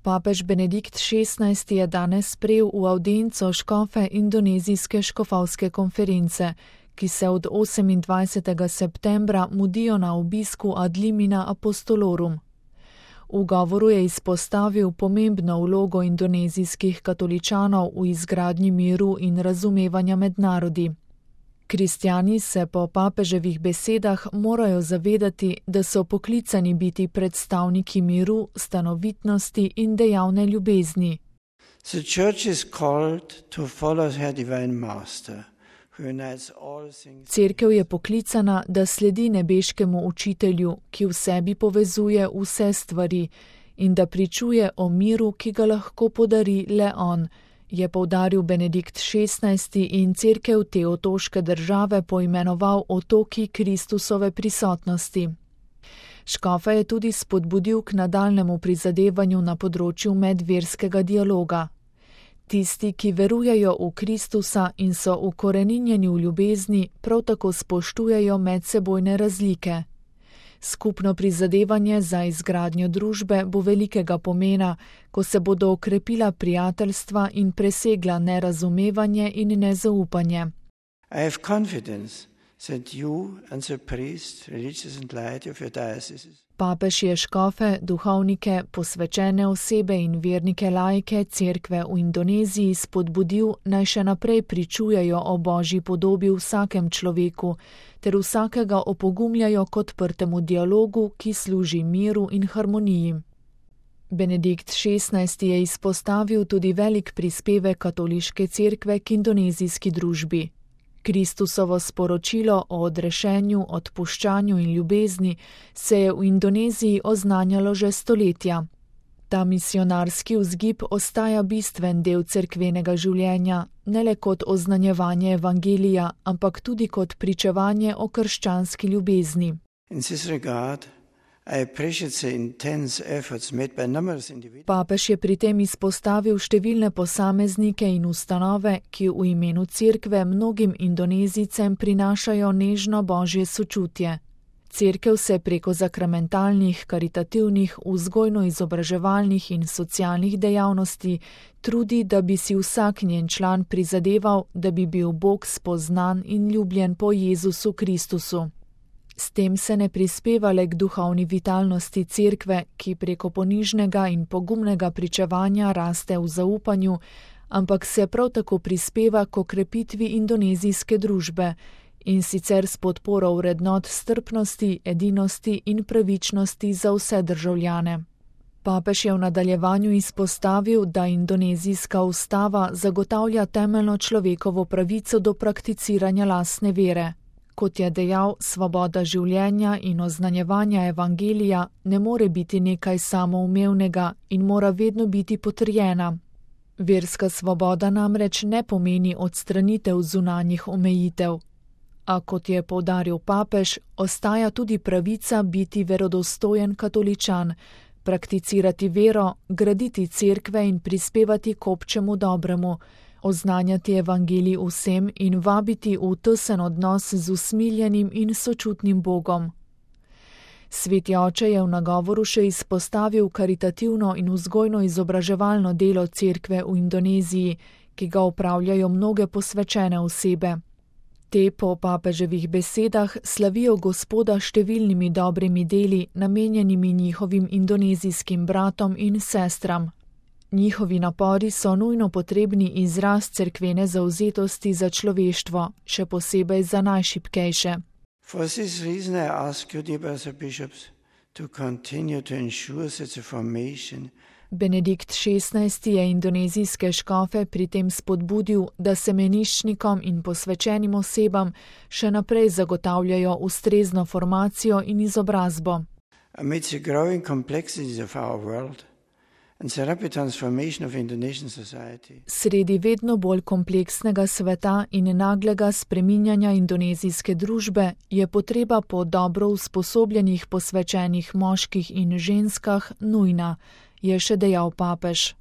Papež Benedikt XVI je danes sprejel v avdienco škofe indonezijske škofovske konference, ki se od 28. septembra mudijo na obisku ad limina apostolorum. V govoru je izpostavil pomembno vlogo indonezijskih katoličanov v izgradnji miru in razumevanja med narodi. Kristjani se po papeževih besedah morajo zavedati, da so poklicani biti predstavniki miru, stanovitnosti in dejavne ljubezni. The church is called to follow her divine master. Cerkev je poklicana, da sledi nebeškemu učitelju, ki v sebi povezuje vse stvari in da pričuje o miru, ki ga lahko podari le on, je poudaril Benedikt XVI in cerkev te otoške države poimenoval otoki Kristusove prisotnosti. Škofa je tudi spodbudil k nadaljnemu prizadevanju na področju medverskega dialoga. Tisti, ki verujejo v Kristusa in so ukoreninjeni v ljubezni, prav tako spoštujejo medsebojne razlike. Skupno prizadevanje za izgradnjo družbe bo velikega pomena, ko se bodo okrepila prijateljstva in presegla nerazumevanje in nezaupanje. I have confidence that you and the priest, religious and laity of your diocese. Papež je škofe, duhovnike, posvečene osebe in vernike laike cerkve v Indoneziji spodbudil, naj še naprej pričujejo o Božji podobi v vsakem človeku, ter vsakega opogumljajo k odprtemu dialogu, ki služi miru in harmoniji. Benedikt XVI je izpostavil tudi velik prispevek katoliške cerkve k indonezijski družbi. Kristusovo sporočilo o odrešenju, odpuščanju in ljubezni se je v Indoneziji oznanjalo že stoletja. Ta misionarski vzgib ostaja bistven del cerkvenega življenja, ne le kot oznanjevanje evangelija, ampak tudi kot pričevanje o krščanski ljubezni. In this regard, I appreciate the intense efforts made by numerous individuals. Papež je pri tem izpostavil številne posameznike in ustanove, ki v imenu cerkve mnogim Indonezijcem prinašajo nežno božje sočutje. Cerkev se preko sakramentalnih, karitativnih, vzgojno-izobraževalnih in socialnih dejavnosti trudi, da bi si vsak njen član prizadeval, da bi bil Bog spoznan in ljubljen po Jezusu Kristusu. S tem se ne prispeva le k duhovni vitalnosti cerkve, ki preko ponižnega in pogumnega pričevanja raste v zaupanju, ampak se prav tako prispeva k okrepitvi indonezijske družbe, in sicer s podporo vrednot strpnosti, edinosti in pravičnosti za vse državljane. Papež je v nadaljevanju izpostavil, da indonezijska ustava zagotavlja temeljno človekovo pravico do prakticiranja lastne vere. Kot je dejal, svoboda življenja in oznanjevanja evangelija ne more biti nekaj samoumevnega in mora vedno biti potrjena. Verska svoboda namreč ne pomeni odstranitev zunanjih omejitev. A kot je poudaril papež, ostaja tudi pravica biti verodostojen katoličan, prakticirati vero, graditi cerkve in prispevati k občemu dobremu, oznanjati evangelij vsem in vabiti v tesen odnos z usmiljenim in sočutnim Bogom. Sveti oče je v nagovoru še izpostavil karitativno in vzgojno-izobraževalno delo cerkve v Indoneziji, ki ga opravljajo mnoge posvečene osebe. Te po papeževih besedah slavijo Gospoda številnimi dobrimi deli, namenjenimi njihovim indonezijskim bratom in sestram. Njihovi napori so nujno potrebni izraz cerkvene zavzetosti za človeštvo, še posebej za najšibkejše. For this reason I ask you, dear brothers and bishops, to continue to ensure that the formation. Benedikt XVI je indonezijske škofe pri tem spodbudil, da se meniščnikom in posvečenim osebam še naprej zagotavljajo ustrezno formacijo in izobrazbo. Amid the growing complexities of our world and the rapid transformation of Indonesian society. Sredi vedno bolj kompleksnega sveta in naglega spreminjanja indonezijske družbe je potreba po dobro usposobljenih posvečenih moških in ženskah nujna, je še dejal papež.